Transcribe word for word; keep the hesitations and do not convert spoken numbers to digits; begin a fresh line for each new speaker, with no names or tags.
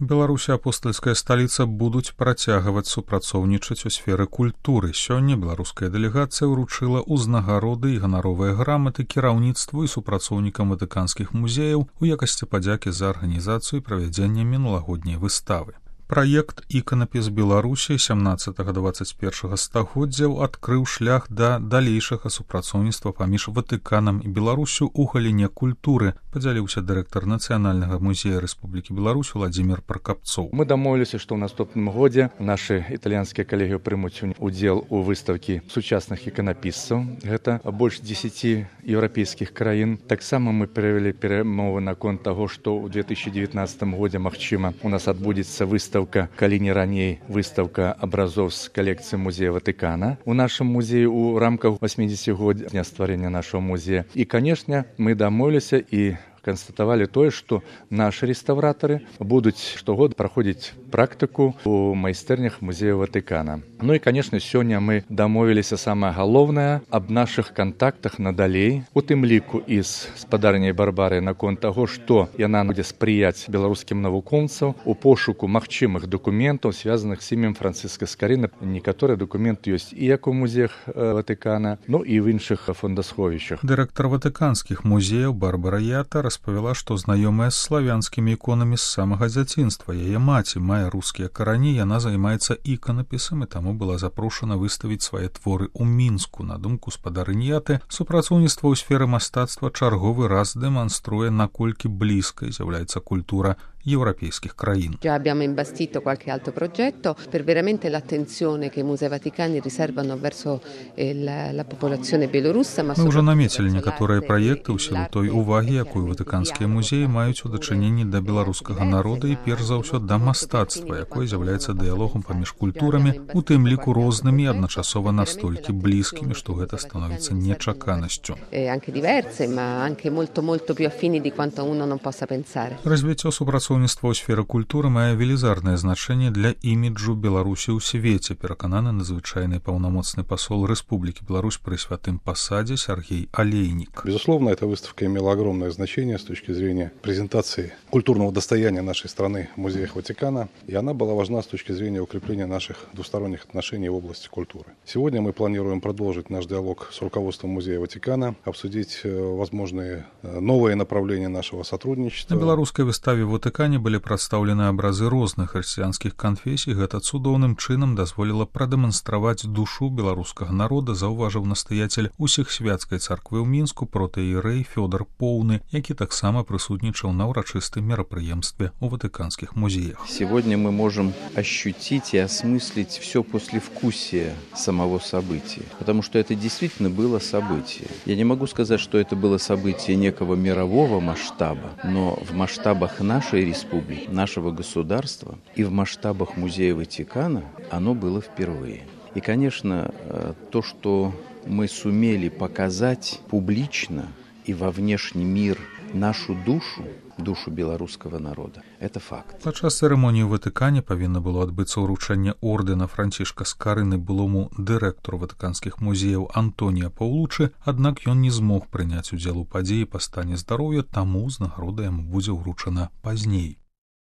Беларусь і апостальская сталіца будуць працягваць супрацоўнічаць у сферы культуры. Сёння беларуская дэлегацыя ўручыла ўзнагароды і ганаровыя граматы кіраўніцтву і супрацоўнікам ватыканскіх музеяў у якасці падзякі за арганізацыю і правядзенне мінулагодняй выставы. Праект «Іканапіс Беларусі» сямнаццатага-дваццаць першага стагоддзяў адкрыў шлях да далейшага супрацоўніцтва паміж Ватыканам і Беларусю ў галіне культуры, падзяліўся дырэктар Нацыянальнага музея Рэспублікі Беларусь Владзімір Пракапцоў.
Мы дамовіліся, што ў наступным годзе нашы італьянскія калегі прымуць удзел у выставкі сучасных іканапісцаў. Гэта больш дзесяці еўрапейскіх краін. Таксама мы правялі перамовы наконт таго, што ў две тысячы дзевятнаццатым годзе, магчыма, у нас адбудзецца выставка калі не раней выставка абразоў з калекцыі музея Ватыкана у нашым музеі ў рамках восьмідзесяцігоддзя стварэння нашага музея. І, канешне, мы дамовіліся і канстатавалі тое, што нашы рэстаўратары будуць штогод праходзіць практыку ў майстэрнях музея Ватыкана. Ну і, канешне, сёння мы дамовіліся самае галоўнае аб нашых кантактах надалей, у тым ліку і з спадарняй Барбарай наконт таго, што яна будзе спрыяць беларускім навукоўцам у пошуку магчымых дакументаў, звязаных з імем Францыска Скарына. Некаторыя дакументы ёсць і як у музеях Ватыкана, ну і ў іншых фондасховішчах.
Дырэктар ватыканскіх музеяў Барбара Ята распавяла, што знаёмая з славянскімі іконамі з самага дзяцінства. Яе маці мае рускія карані, яна займаецца іканапісам і таму была запрошана выставіць свае творы ў Мінску. На думку спадарыні Яты, супрацоўніцтва ў сферы мастацтва чарговы раз дэманструе, наколькі блізкай з'яўляецца культура европейских краин.
Già abbiamo imbastito qualche altro progetto per veramente l'attenzione che i Musei Vaticani riservano verso il, la popolazione белоруssa.
Мы уже наметили некоторые проекты ў сілу той увагі, якую ватыканскія музеі маюць у дачыненні да беларускага народа і перш за ўсё да мастацтва, якое з'яўляецца дыялогам паміж культурамі, у тым ліку рознымі, адначасова настолькі блізкімі, што гэта становіцца нечаканасцю.
Anche diverse, ma anche molto molto più affini di quanto uno non possa pensare.
Развіццё супрацоўніцтва ў сферы культуры мае велізарнае значэнне для іміджу Беларусі ў свеце, перакананы надзвычайны паўнамоцны пасол Рэспублікі Беларусь пры святым пасадзе Сергей Олейник.
Безусловно, эта выставка имела огромное значение с точки зрения презентации культурного достояния нашей страны в музеях Ватикана, и она была важна с точки зрения укрепления наших двусторонних отношений в области культуры. Сегодня мы планируем продолжить наш диалог с руководством музея Ватикана, обсудить возможные новые направления нашего сотрудничества.
На беларускай выставе в Ватикане былі прадстаўлены абразы розных хрысціянскіх канфесій. Гэта цудоўным чынам дазволіла прадэманстраваць душу беларускага народа, заўважыў настаяцель усехсвяцкай царквы ў Мінску протэірэй Фёдор Поўны, які таксама прысутнічаў на ўрачыстым мерапрыемстве ў ватыканскіх музеях.
Сегодня мы можем ощутить и осмыслить все послевкусие самого события, потому что это действительно было событие. Я не могу сказать, что это было событие некого мирового масштаба, но в масштабах нашей республики, нашего государства и в масштабах музея Ватикана оно было впервые. И, конечно, то, что мы сумели показать публично и во внешний мир нашу душу, душу беларускага народа, это факт.
Падчас цырымоніі ў Ватыкане павінна было адбыцца ўручэнне ордэна Францішка Скарыны былому дырэктару ватыканскіх музеяў Антонія Паўлучы, аднак ён не змог прыняць удзел у падзеі па стане здароўя, таму ўзнагарода яму будзе ўручана пазней.